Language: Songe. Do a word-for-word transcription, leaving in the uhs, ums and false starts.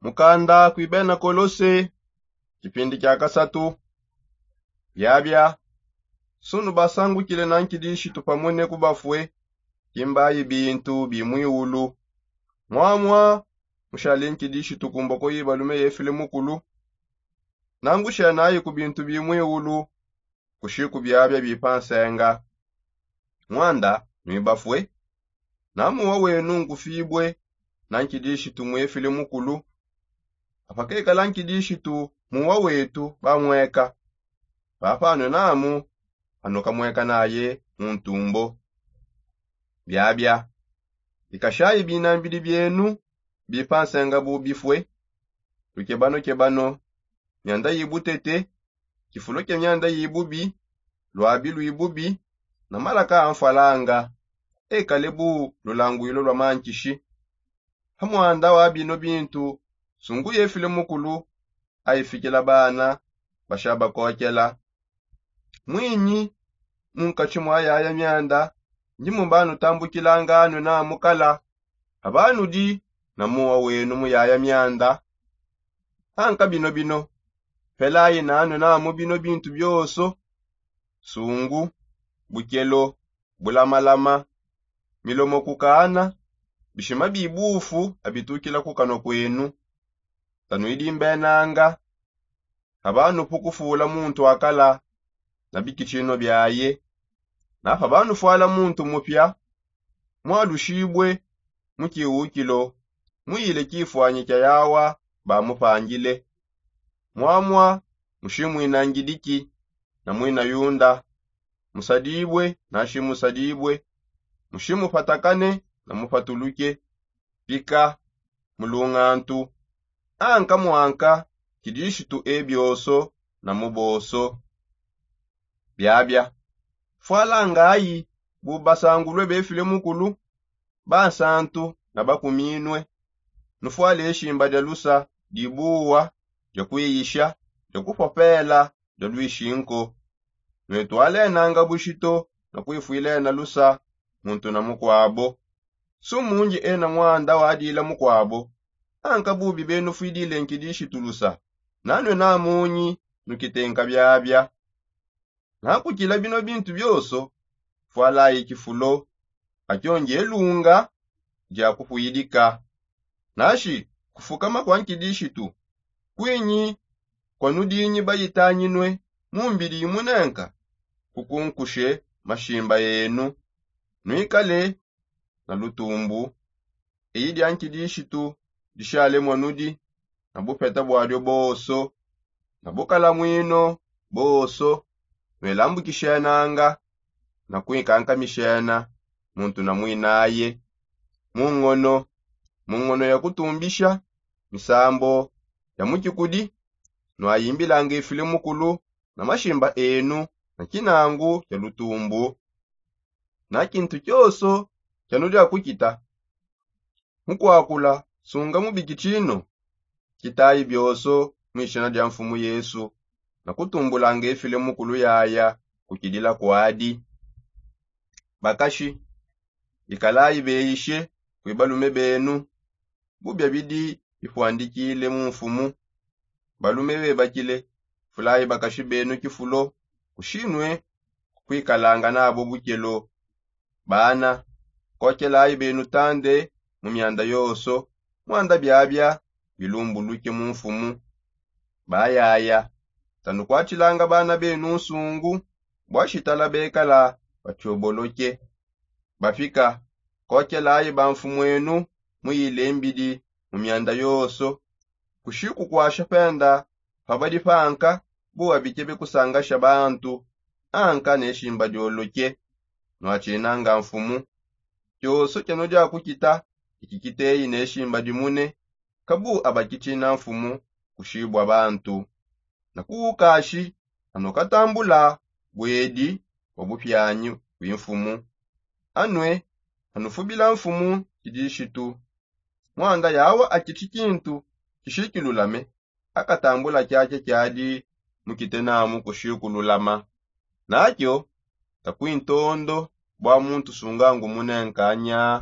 Mukanda kuibena kolose, kipindi kia kasatu. Biabia sunu basangukile na nkidishitu pamune kubafue kimbayi bintu bimwiulu. Mwamwa mushali nkidishitu kumboko yibalume yefile mukulu, nangushenayi ku bintu bimwiulu kushiku biabia bipa nsenga. Mwanda nwibafue, na muwa wenu nkufibue na nkidishitu mwefile mukulu. Apakekala nkidishitu muwa wetu bamweka, papanwe namu anukamweka naye muntumbo. Biabia bikashayi binambidi bienu bipa nsenga bubifue. Lukebanokebano, mianda yibutete, kifulo kia mianda yibubi, lwabi lwibubi, na malaka a nfwalanga, ekale bu lulangwilo lwa mankishi. Hamwanda wa bino bintu sungu yefile mukulu, aifikila bana bashabakokela. Mwinyi munkatshi mwa yaya mianda ndi mumbanutambukilanga anwe namukala, abanudi na muwa wenu muyaya mianda. Anka bino bino, pelayi nanwe namu bino bintu bioso: sungu, bukelo, bulamalama, milomo kukana, bishima bibufu abitukila kukanwa kwenu. Tanwidi mbenanga, abanupu kufula muntu akala na bikitshino biaye. Napa banufwala muntu mupia, mwalushibue mu kiwukilo, muyile kifwanyi kia yawa bamupangile. Mwamwa mushimwina ngidiki na mwina yunda, musadibue na shimusadibue, mushimupatakane na mupatuluke, pika, mulungantu, anka mwanka kidishitu ebioso na muboso. Biabia fwalangayi bu basangulue befile mukulu, bansantu na bakuminue. Nufwale eshimba dia lusa dibuwa, dia kuiyisha, dia kupopela, dia lwishinko. Nwetwalenanga bushito na kwifwilena lusa muntu na mukwabo. Sumungi ena mwanda wadila mukwabo, anka bubi benufwidile nkidishitu lusa, nanwe namunyi nukitenka biabia. Nakukila bino bintu bioso, fwalayi kifulo, akio ngelunga dia kupwidika. Nashi kufukama kwa nkidishitu kwinyi kwanudinyi bayitanyinue mumbidi imunenka, kukunkushe mashimba enu, nwikale na lutumbu. Eyi dia nkidishitu dishale mwanudi na bupeta bwadio boso na bukalamwino boso, nwelambukishenanga na kwinkankamishena muntu na mwinaye. Mungono, mungono ya kutumbisha misambo ya mukikudi, nwayimbilanga ifile mukulu na mashimba enu na kinangu kia lutumbu. Na kintu kioso kianudia kukita mukwakula sunga mubiki tshino, kitayi bioso mwishina dia Mfumu Yesu, na kutumbulanga efile mukulu yaya kukidila kwadi. Bakashi, ikalayi beyishe kwi balume benu, bubia bidi bipwandikile mu Mfumu. Balume bebakile, fulayi bakashi benu kifulo, kushinue kukwikalanga nabo bukelo. Bana, kokelayi benu tande mu mianda yoso, mwanda biabia bilumbuluke mu Mfumu. Bayaya, tanukwatshilanga bana benu nsungu, bua shitala bekala batshoboloke. Bapika, kokelayi bamfumuenu muyile mbidi mu mianda yoso, kushikukwasha penda pa badi panka, bu abikebe kusangasha bantu, anka ne shimba dioloke, nwatshinanga Mfumu. Kioso kianudia kukita, iki kiteyi ne shimba dimune, kabu abakitshina Mfumu kushibua bantu. Na kuwukashi, anukatambula buedi bua bupianyi bui Mfumu. Anue anufubila Mfumu kidishitu. Mwanda yawa akitshi kintu kishikilulame, akatambula kiakia kiadi mukite namu kushikululama. Nakio takwintondo bua muntu sunga ngumune nkanya.